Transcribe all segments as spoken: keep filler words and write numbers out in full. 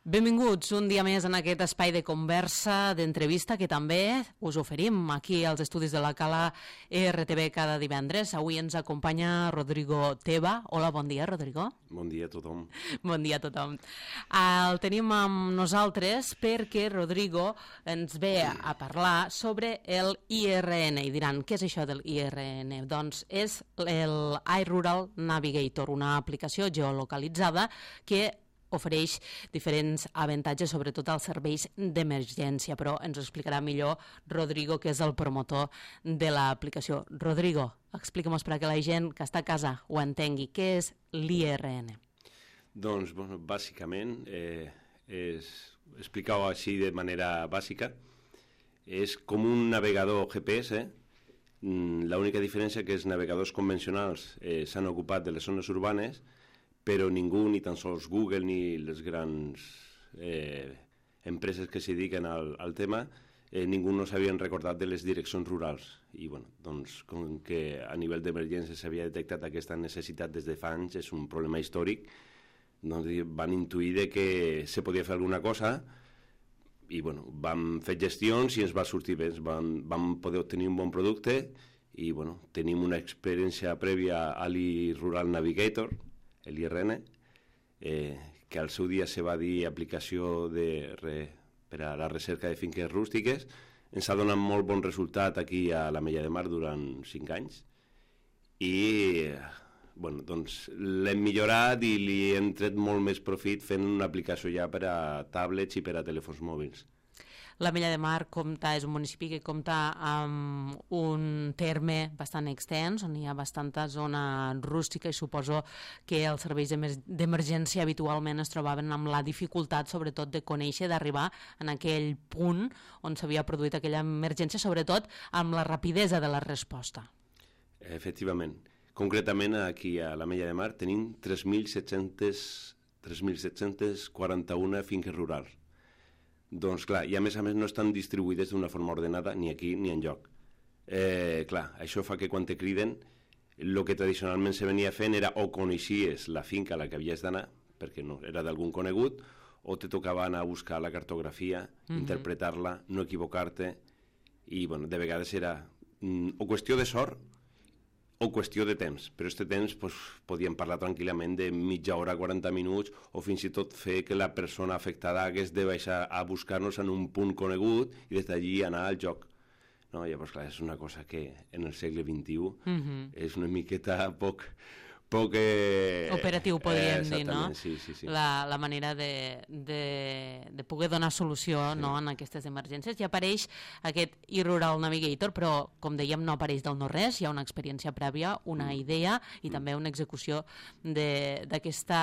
Benvinguts un dia més en aquest espai de conversa, d'entrevista que també us oferim aquí als estudis de la Cala R T V cada divendres. Avui ens acompanya Rodrigo Teba. Hola, bon dia, Rodrigo. Bon dia a tothom. Bon dia a tothom. El tenim amb nosaltres perquè Rodrigo ens ve a parlar sobre el I R N. I diran, què és això del I R N? Doncs és el iRural Navigator, una aplicació geolocalitzada que ofereix diferents avantatges, sobretot als serveis d'emergència, però ens ho explicarà millor Rodrigo, que és el promotor de l'aplicació. Rodrigo, explica'm-nos per a que la gent que està a casa ho entengui. Què és l'I R N? Doncs, bueno, bàsicament, eh, és, explicar-ho així de manera bàsica, és com un navegador G P S. L'única diferència que els navegadors convencionals eh, s'han ocupat de les zones urbanes, però ningú, ni tan sols Google ni les grans eh, empreses que s'hi dediquen al, al tema, eh, ningú no s'havien recordat de les direccions rurals. I bueno, doncs, com que a nivell d'emergència s'havia detectat aquesta necessitat des de fa anys, és un problema històric, doncs van intuir de que se podia fer alguna cosa i bueno, vam fer gestions i ens va sortir bé, vam, vam poder obtenir un bon producte i bueno, tenim una experiència prèvia a l'iRural Navigator, l'I R N, eh, que al seu dia se va dir aplicació de re, per a la recerca de finques rústiques. Ens ha donat molt bon resultat aquí a l'Ametlla de Mar durant cinc anys i bueno, doncs l'hem millorat i li hem tret molt més profit fent una aplicació ja per a tablets i per a telèfons mòbils. L'Ametlla de Mar compta, és un municipi que compta amb un terme bastant extens, on hi ha bastanta zona rústica i suposo que els serveis d'emergència habitualment es trobaven amb la dificultat, sobretot, de conèixer, d'arribar en aquell punt on s'havia produït aquella emergència, sobretot amb la rapidesa de la resposta. Efectivament. Concretament, aquí a l'Ametlla de Mar tenim tres mil set-cents quaranta-u finques rurals. Doncs clar, i a més a més no estan distribuïdes d'una forma ordenada ni aquí ni enlloc. Eh, clar, això fa que quan te criden, el que tradicionalment se venia fent era o coneixies la finca a la que havies d'anar, perquè no era d'algun conegut, o te tocava anar a buscar la cartografia, mm-hmm. interpretar-la, no equivocar-te, i bueno, de vegades era mm, o qüestió de sort o qüestió de temps, però aquest temps pues, podíem parlar tranquil·lament de mitja hora, quaranta minuts, o fins i tot fer que la persona afectada hagués de baixar a buscar-nos en un punt conegut i des d'allí anar al joc. No? Llavors, clar, és una cosa que en el segle vint-i-u mm-hmm. és una miqueta poc... poc eh, operatiu, podríem eh, dir, no? Sí, sí, sí. La, la manera de, de, de poder donar solució sí. no, en aquestes emergències. Ja apareix aquest iRural Navigator, però, com dèiem, no apareix del no-res, hi ha una experiència prèvia, una mm. idea i mm. també una execució d'aquesta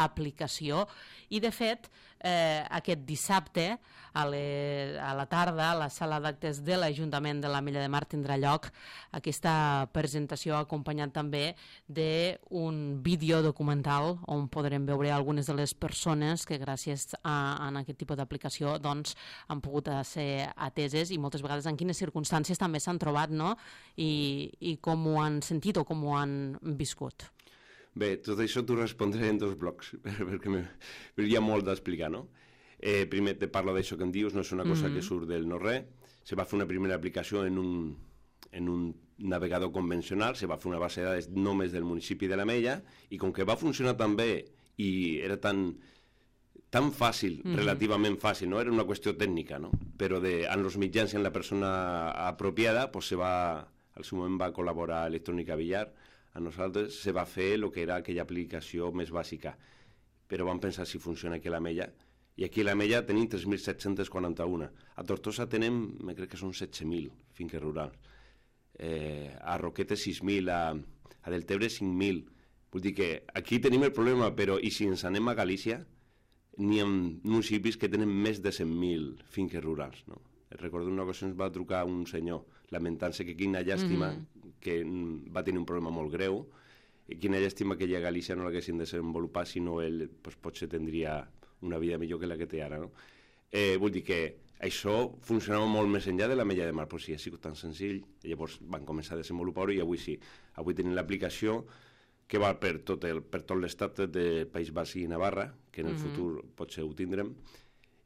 aplicació. I, de fet, eh, aquest dissabte, a, le, a la tarda, a la sala d'actes de l'Ajuntament de l'Ametlla de Mar tindrà lloc aquesta presentació acompanyat també de un vídeo documental on podrem veure algunes de les persones que gràcies a, a aquest tipus d'aplicació doncs, han pogut ser ateses i moltes vegades en quines circumstàncies també s'han trobat, no? I, i com ho han sentit o com ho han viscut. Bé, tot això t'ho respondré en dos blocs, perquè hi ha molt d'explicar, no? Eh, primer te parlo d'això que em dius, no és una cosa mm-hmm. que surt del no-res. Se va fer una primera aplicació en un, en un navegador convencional, se va fer una base de dades només del municipi de l'Ametlla, i com que va funcionar tan bé i era tan, tan fàcil, mm-hmm. relativament fàcil, no? Era una qüestió tècnica, no? Però de, en els mitjans i en la persona apropiada, pues se va, al seu moment va col·laborar Electrònica Villar, a nosaltres se va fer el que era aquella aplicació més bàsica. Però vam pensar si funciona aquí a l'Ametlla, i aquí a l'Ametlla tenim tres mil set-cents quaranta-u. A Tortosa tenem, me crec que són setze mil finques rurals. Eh, a Roquetes sis mil, a, a Deltebre cinc mil. Vull dir que aquí tenim el problema, però i si ens anem a Galícia, n'hi ha municipis que tenen més de cent mil finques rurals, no? Recordo una ocasió ens va trucar un senyor lamentant-se que quina llàstima mm-hmm. que va tenir un problema molt greu, i quina llàstima que ella a Galícia no l'haguessin desenvolupat, sinó ell pues, potser tindria una vida millor que la que té ara, no? Eh, vull dir que això funcionava molt més enllà de l'Ametlla de Mar, però sí, ha sigut tan senzill, i llavors van començar a desenvolupar-ho i avui sí. Avui tenim l'aplicació que val per tot el, per tot l'estat de País Basc i Navarra, que en el mm-hmm. futur potser ho tindrem,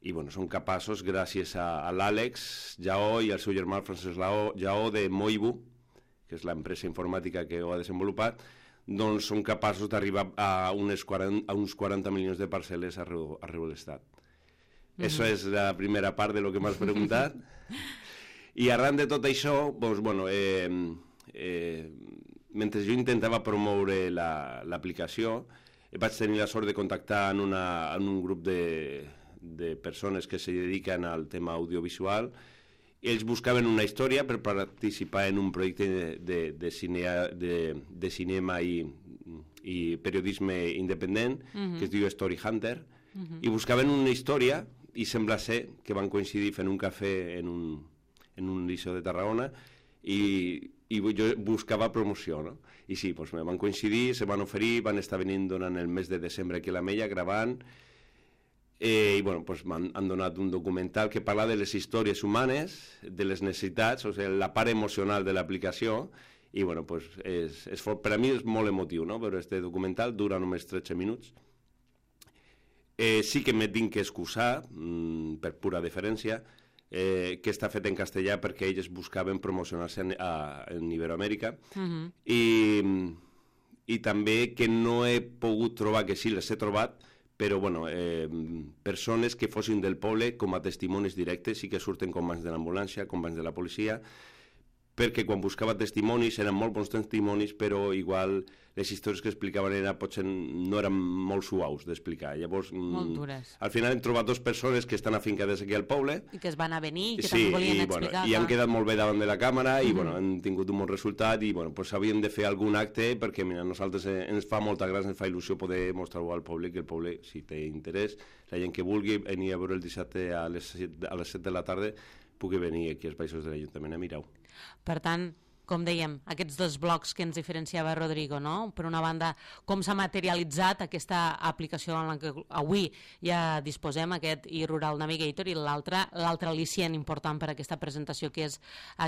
i bueno, són capaços, gràcies a, a l'Àlex Jaó i al seu germà Francesc Jaó de Moibu, que és l'empresa informàtica que ho ha desenvolupat, doncs són capaços d'arribar a, unes quaranta, a uns quaranta milions de parcel·les arreu, arreu de l'estat. Mm-hmm. Això és la primera part de lo que m'has preguntat. I arran de tot això, doncs, bueno, eh, eh, mentre jo intentava promoure l'aplicació, la, vaig tenir la sort de contactar en, una, en un grup de, de persones que se dediquen al tema audiovisual. Ells buscaven una història per participar en un projecte de, de, de, cine, de, de cinema i, i periodisme independent, uh-huh. que es diu Story Hunter, uh-huh. i buscaven una història, i sembla ser que van coincidir fent un cafè en un, en un liceu de Tarragona, i, i jo buscava promoció, no? I sí, doncs van coincidir, se van oferir, van estar venint durant el mes de desembre aquí a l'Ametlla, gravant, eh, i bueno, doncs m'han han donat un documental que parla de les històries humanes, de les necessitats, o sigui, la part emocional de l'aplicació, i bueno, doncs és, és, per a mi és molt emotiu, no?, però este documental dura només tretze minuts. Eh, sí que m'he tinc que excusar, mmm, per pura deferència, Eh, que està fet en castellà perquè ells buscaven promocionar-se en, en Iberoamèrica, uh-huh. i, i també que no he pogut trobar, que sí, les he trobat, però bueno, eh, persones que fossin del poble com a testimonis directes, sí que surten companys de l'ambulància, companys de la policia, perquè quan buscava testimonis eren molt bons testimonis, però igual les històries que explicaven era, potser no eren molt suaus d'explicar. Llavors, molt dures. Al final hem trobat dues persones que estan afincades aquí al poble. I que es van a venir i que sí, també volien i, explicar. Bueno, i han quedat molt bé davant de la càmera i mm-hmm. bueno, han tingut un bon resultat i bueno, pues, havíem de fer algun acte perquè mira, a nosaltres ens fa molta gràcia, ens fa il·lusió poder mostrar-ho al poble, que el poble, si té interès, la gent que vulgui venir a veure el dissabte a les set de la tarda pugui venir aquí als baixos de l'Ajuntament a mirar-ho. Per tant, com dèiem, aquests dos blocs que ens diferenciava Rodrigo, no? Per una banda, com s'ha materialitzat aquesta aplicació en la que avui ja disposem, aquest e-Rural Navigator, i l'altre, l'altre al·licient important per a aquesta presentació, que és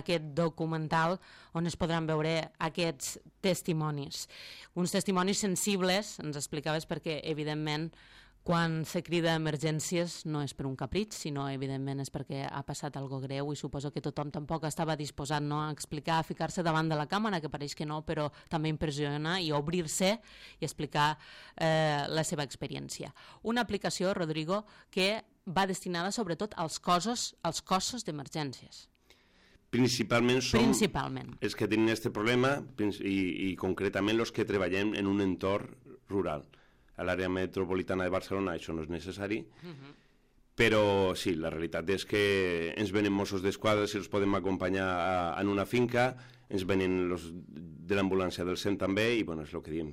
aquest documental on es podran veure aquests testimonis. Uns testimonis sensibles, ens explicaves, perquè, evidentment, quan se crida emergències no és per un capritx, sinó evidentment és perquè ha passat algo greu i suposo que tothom tampoc estava disposat, no, a explicar, a ficar-se davant de la càmera, que pareix que no, però també impressiona, i obrir-se i explicar eh, la seva experiència. Una aplicació, Rodrigo, que va destinada sobretot als cossos, als cossos d'emergències. Principalment som Principalment. els que tenen aquest problema i, i concretament els que treballem en un entorn rural. A l'àrea metropolitana de Barcelona això no és necessari, uh-huh. però sí, la realitat és que ens venen Mossos d'Esquadra si els podem acompanyar a, en una finca, ens venen los de l'ambulància del cent també, i bueno, és el que diem.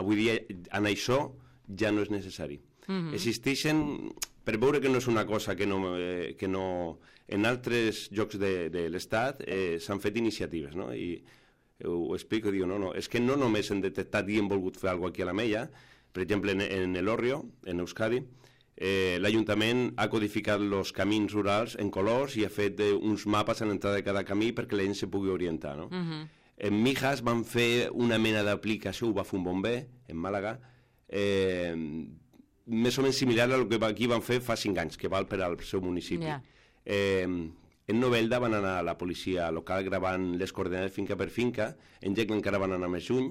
Avui dia en això ja no és necessari. Uh-huh. Existeixen, per veure que no és una cosa que no... Eh, que no en altres llocs de, de l'Estat eh, s'han fet iniciatives, no? I ho explico, diu, no, no, és que no només hem detectat i hem volgut fer alguna cosa aquí a l'Ametlla. Per exemple, en, en l'Orrio, en Euskadi, eh, l'Ajuntament ha codificat els camins rurals en colors i ha fet eh, uns mapes a l'entrada de cada camí perquè la gent se pugui orientar, no? Uh-huh. En Mijas van fer una mena d'aplicació, ho va fer un bomber, en Màlaga, eh, més o menys similar a el que aquí van fer fa cinc anys, que val per al seu municipi. Yeah. Eh, en Novelda van anar a la policia local gravant les coordenades finca per finca, en Gec encara van anar més lluny,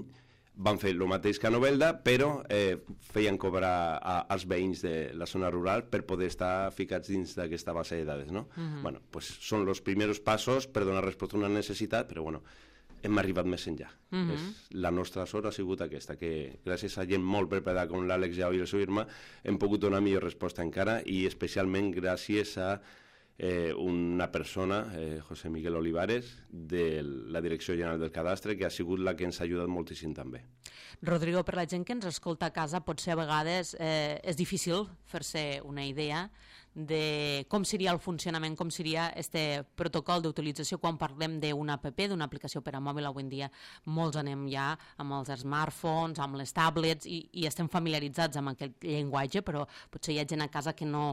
van fer el mateix que a Novelda, però eh, feien cobrar a, als veïns de la zona rural per poder estar ficats dins d'aquesta base de dades, no? Uh-huh. Bueno, pues són els primers passos per donar resposta a una necessitat, però bueno, hem arribat més enllà. Uh-huh. És, la nostra sort ha sigut aquesta, que gràcies a gent molt preparada com l'Àlex Jau i el seu germà hem pogut donar millor resposta encara, i especialment gràcies a Eh, una persona, eh, José Miguel Olivares, de la Direcció General del Cadastre, que ha sigut la que ens ha ajudat moltíssim també. Rodrigo, per la gent que ens escolta a casa, potser a vegades eh, és difícil fer-se una idea de com seria el funcionament, com seria este protocol d'utilització quan parlem d'una app, d'una aplicació per a mòbil. Avui en dia molts anem ja amb els smartphones, amb les tablets, i, i estem familiaritzats amb aquest llenguatge, però potser hi ha gent a casa que no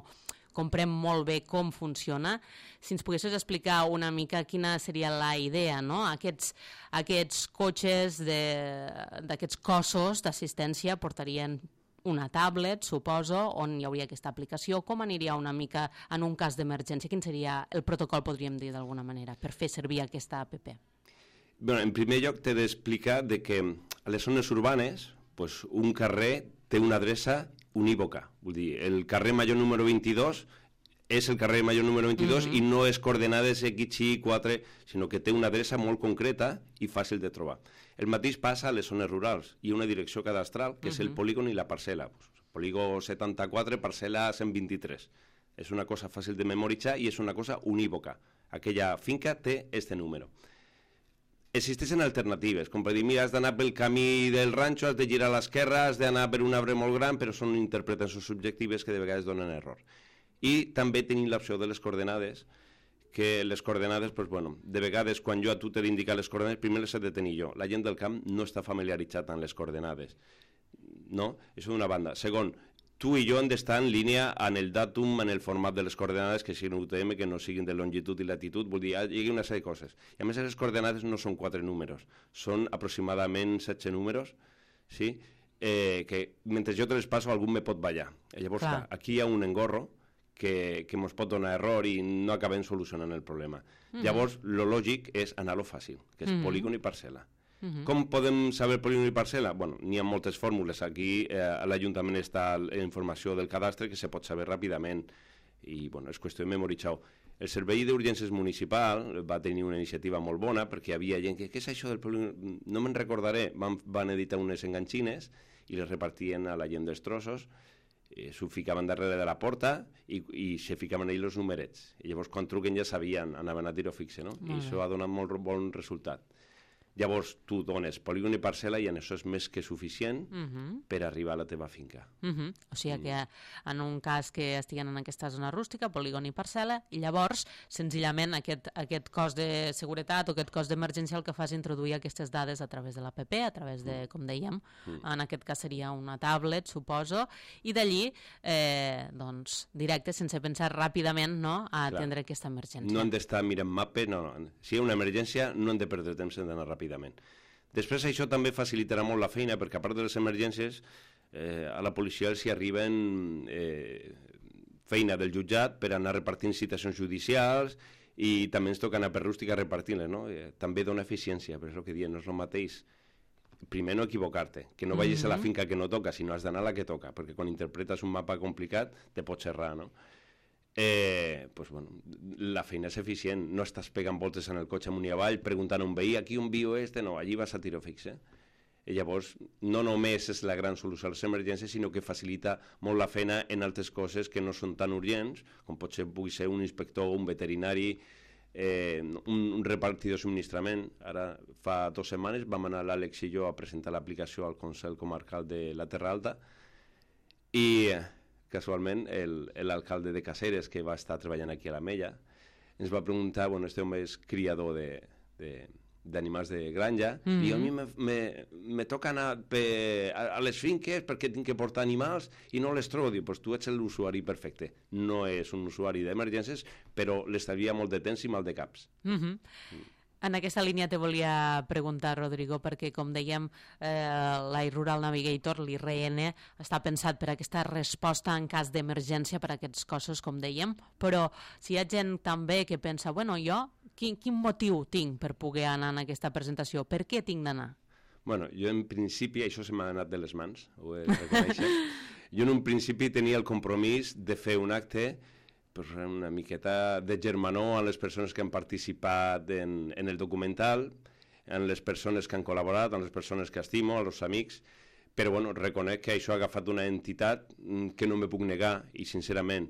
comprem molt bé com funciona. Si ens poguessis explicar una mica quina seria la idea, no? Aquests, aquests cotxes d'aquests cossos d'assistència portarien una tablet, suposo, on hi hauria aquesta aplicació. Com aniria una mica en un cas d'emergència? Quin seria el protocol, podríem dir d'alguna manera, per fer servir aquesta app? Bueno, en primer lloc, t'he d'explicar que a les zones urbanes pues, un carrer té una adreça unívoca. Vull dir, el carrer Major número vint-i-dos és el carrer Major número vint-i-dos uh-huh. i no és coordenades X, Y, quatre, sinó que té una adreça molt concreta i fàcil de trobar. El mateix passa a les zones rurals. Hi ha una direcció cadastral, que uh-huh. és el polígon i la parcel·la. Polígon setanta-quatre, parcel·la cent vint-i-tres. És una cosa fàcil de memoritzar i és una cosa unívoca. Aquella finca té este número. Existeixen alternatives, com per dir, mira, has d'anar pel camí del ranxo, has de girar a l'esquerra, has d'anar per un arbre molt gran, però són interpretacions subjectives que de vegades donen error. I també tenim l'opció de les coordenades, que les coordenades, pues, bueno, de vegades quan jo a tu t'he d'indicar les coordenades, primer les he de tenir jo. La gent del camp no està familiaritzat amb les coordenades, no? Això d'una banda. Segon, tu i jo hem d'estar en línia en el datum, en el format de les coordenades, que siguin U T M, que no siguin de longitud i latitud, vull dir, hi ha una sèrie de coses. I a més, les coordenades no són quatre números, són aproximadament setze números, sí? eh, que mentre jo te les passo algú me pot ballar. Llavors, clar, aquí hi ha un engorro que, que ens pot donar error i no acabem solucionant el problema. Mm-hmm. Llavors, lo lògic és anar-lo fàcil, que és mm-hmm. polígon i parcel·la. Uh-huh. Com podem saber polígon i parcel·la? Bueno, n'hi ha moltes fórmules. Aquí eh, a l'Ajuntament està la informació del cadastre que se pot saber ràpidament i bueno, és qüestió de memoritzar-ho. El Servei d'Urgències Municipal va tenir una iniciativa molt bona perquè hi havia gent que, què és això del polígon? No me'n recordaré. Van, van editar unes enganxines i les repartien a la gent dels trossos, eh, s'ho ficaven darrere de la porta i, i se ficaven ells els numerets. I llavors quan truquen ja sabien, anaven a tiro fixe, no? I això ha donat molt bon resultat. Llavors tu dones polígon i parcel·la i en això és més que suficient uh-huh. per arribar a la teva finca. Uh-huh. O sigui que en un cas que estiguen en aquesta zona rústica, polígon i parcel·la, i llavors senzillament aquest, aquest cos de seguretat o aquest cos d'emergència el que fa és introduir aquestes dades a través de l'app, a través de, com dèiem, uh-huh. en aquest cas seria una tablet, suposo, i d'allí, eh, doncs, directe, sense pensar ràpidament, no?, a Clar. atendre aquesta emergència. No hem d'estar mirant mapes, no, no. Si hi ha una emergència no hem de perdre temps en d'anar ràpid. Després això també facilitarà molt la feina perquè a part de les emergències eh, a la policia els hi arriben eh, feina del jutjat per anar repartint citacions judicials i també ens toca anar per rústica repartint-les, no? Eh, també dona eficiència, però és el que diem, no és el mateix. Primer no equivocar-te, que no vagis mm-hmm. a la finca que no toca, sinó has d'anar a la que toca, perquè quan interpretes un mapa complicat te pots errar, no? Eh, pues bueno, la feina és eficient, no estàs pegant voltes en el cotxe amunt i avall preguntant a un veí, aquí on viu este, no, allí vas a tiro fixe. I llavors no només és la gran solució a les emergències, sinó que facilita molt la feina en altres coses que no són tan urgents, com pot ser, pugui ser un inspector, un veterinari, eh, un, un repartidor de subministrament. Ara fa dues setmanes vam anar l'Àlex i jo a presentar l'aplicació al Consell Comarcal de la Terra Alta i casualment l'alcalde de Caceres, que va estar treballant aquí a la Mella, ens va preguntar, bueno, este home és criador de, de, d'animals de granja, mm-hmm. i a mi me, me, me toca anar pe, a, a les finques perquè tinc que portar animals i no les trobo. Diu, pues tu ets l'usuari perfecte. No és un usuari d'emergències, però l'estalvia molt de temps i mal de caps. Mm-hmm. Mm. En aquesta línia te volia preguntar, Rodrigo, perquè, com dèiem, eh, l'iRural Navigator, l'I R N, està pensat per aquesta resposta en cas d'emergència per a aquests cossos, com dèiem, però si hi ha gent també que pensa, bueno, jo, quin, quin motiu tinc per poder anar en aquesta presentació? Per què tinc d'anar? Bueno, jo en principi, això se m'ha anat de les mans, ho he de reconèixer. Jo en un principi tenia el compromís de fer un acte pues, una miqueta de germanor a les persones que han participat en, en el documental, en les persones que han col·laborat, en les persones que estimo, als amics, però bueno, reconec que això ha agafat una entitat que no me puc negar i sincerament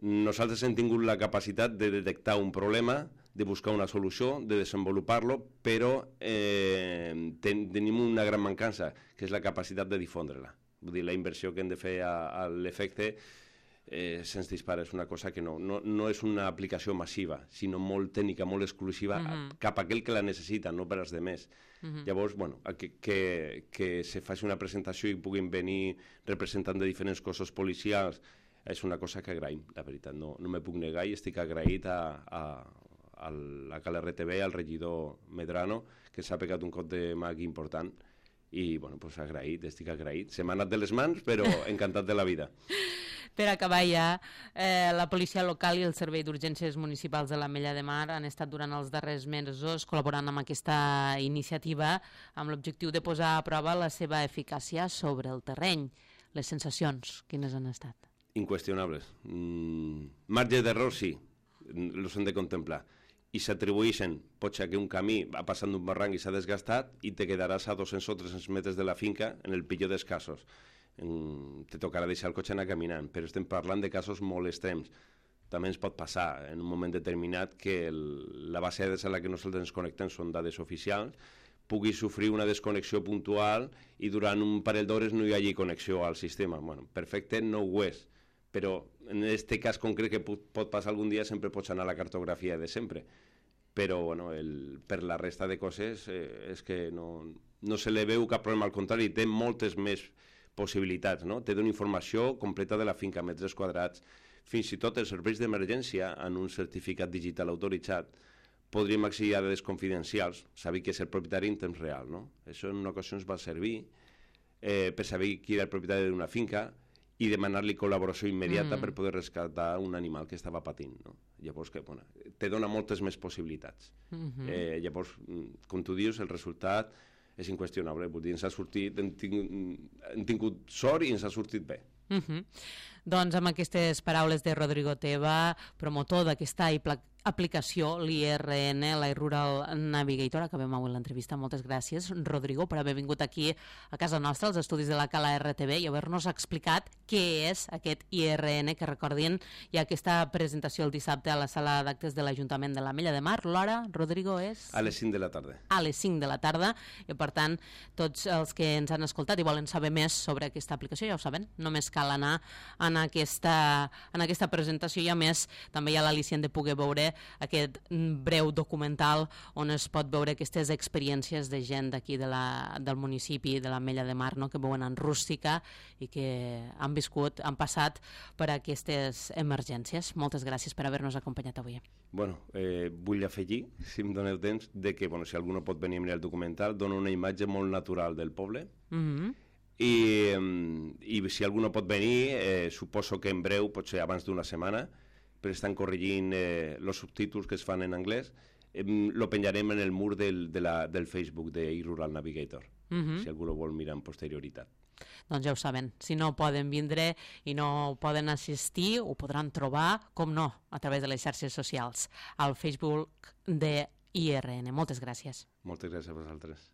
nosaltres hem tingut la capacitat de detectar un problema, de buscar una solució, de desenvolupar-lo, però eh, ten, tenim una gran mancança, que és la capacitat de difondre-la. Vull dir, la inversió que hem de fer a, a l'efecte Eh, se'ns dispara, és una cosa que no, no, no és una aplicació massiva, sinó molt tècnica, molt exclusiva, mm-hmm. cap a aquell que la necessita, no per als demés. Mm-hmm. Llavors, bueno, que, que, que se faci una presentació i puguin venir representants de diferents cossos policials és una cosa que agraïm, la veritat, no, no me puc negar i estic agraït a, a, a la Cala R T V, al regidor Medrano, que s'ha pegat un cop de mà aquí important, i, bueno, pues agraït, estic agraït. Se m'ha anat de les mans, però encantat de la vida. Per acabar ja, eh, la policia local i el Servei d'Urgències Municipals de l'Ametlla de Mar han estat durant els darrers mesos col·laborant amb aquesta iniciativa amb l'objectiu de posar a prova la seva eficàcia sobre el terreny. Les sensacions, quines han estat? Inqüestionables. Mm, marge d'error, sí, els hem de contemplar. I s'atribueixen, pot ser que un camí va passant d'un barranc i s'ha desgastat i te quedaràs a dos-cents o tres-cents metres de la finca en el pitjor dels casos. En, te tocarà deixar el cotxe anar caminant, però estem parlant de casos molt extrems. També ens pot passar en un moment determinat que el, la base de dades a la que nosaltres ens connectem són dades oficials, pugui sofrir una desconnexió puntual i durant un parell d'hores no hi hagi connexió al sistema. Bueno, perfecte no ho és, però en aquest cas concret que pot, pot passar algun dia sempre pots anar a la cartografia de sempre. Però bueno, el, per la resta de coses eh, és que no, no se li veu cap problema, al contrari, té moltes més possibilitats, no? Té una informació completa de la finca, metres quadrats, fins i tot els serveis d'emergència en un certificat digital autoritzat podríem accedir a dades confidencials, saber qui és el propietari en temps real, no? Això en una ocasió ens va servir eh, per saber qui era el propietari d'una finca i demanar-li col·laboració immediata mm. per poder rescatar un animal que estava patint, no? Llavors, que, bueno, te dona moltes més possibilitats. Mm-hmm. eh, llavors, com tu dius, el resultat és inqüestionable. Vull dir, ens ha sortit, hem tingut, hem tingut sort i ens ha sortit bé. Mm-hmm. Doncs amb aquestes paraules de Rodrigo Teva, promotor d'aquesta aplicació, l'I R N, l'iRural Navigator, acabem avui l'entrevista. Moltes gràcies, Rodrigo, per haver vingut aquí a casa nostra, als estudis de la Cala R T V, i haver-nos explicat què és aquest I R N, que recordin, hi ha aquesta presentació el dissabte a la sala d'actes de l'Ajuntament de l'Ametlla de Mar. L'hora, Rodrigo, és? A les cinc de la tarda. A les cinc de la tarda, i per tant, tots els que ens han escoltat i volen saber més sobre aquesta aplicació, ja ho saben, només cal anar en aquesta, en aquesta presentació, i a més també hi ha l'al·licient de poder veure aquest breu documental on es pot veure aquestes experiències de gent d'aquí de la, del municipi de l'Ametlla de Mar, no? Que veuen en rústica i que han viscut, han passat per aquestes emergències. Moltes gràcies per haver-nos acompanyat avui. Bueno, eh, vull afegir, si em doneu temps, de que bueno, si algú no pot venir a mirar el documental, dona una imatge molt natural del poble. Mm-hmm. I, i si algú no pot venir, eh, suposo que en breu, potser abans d'una setmana, però estan corregint eh, els subtítols que es fan en anglès, eh, lo penjarem en el mur del, de la, del Facebook de iRural Navigator, mm-hmm. si algú lo vol mirar en posterioritat. Doncs ja ho saben, si no poden vindre i no poden assistir, ho podran trobar, com no, a través de les xarxes socials, al Facebook de I R N. Moltes gràcies. Moltes gràcies a vosaltres.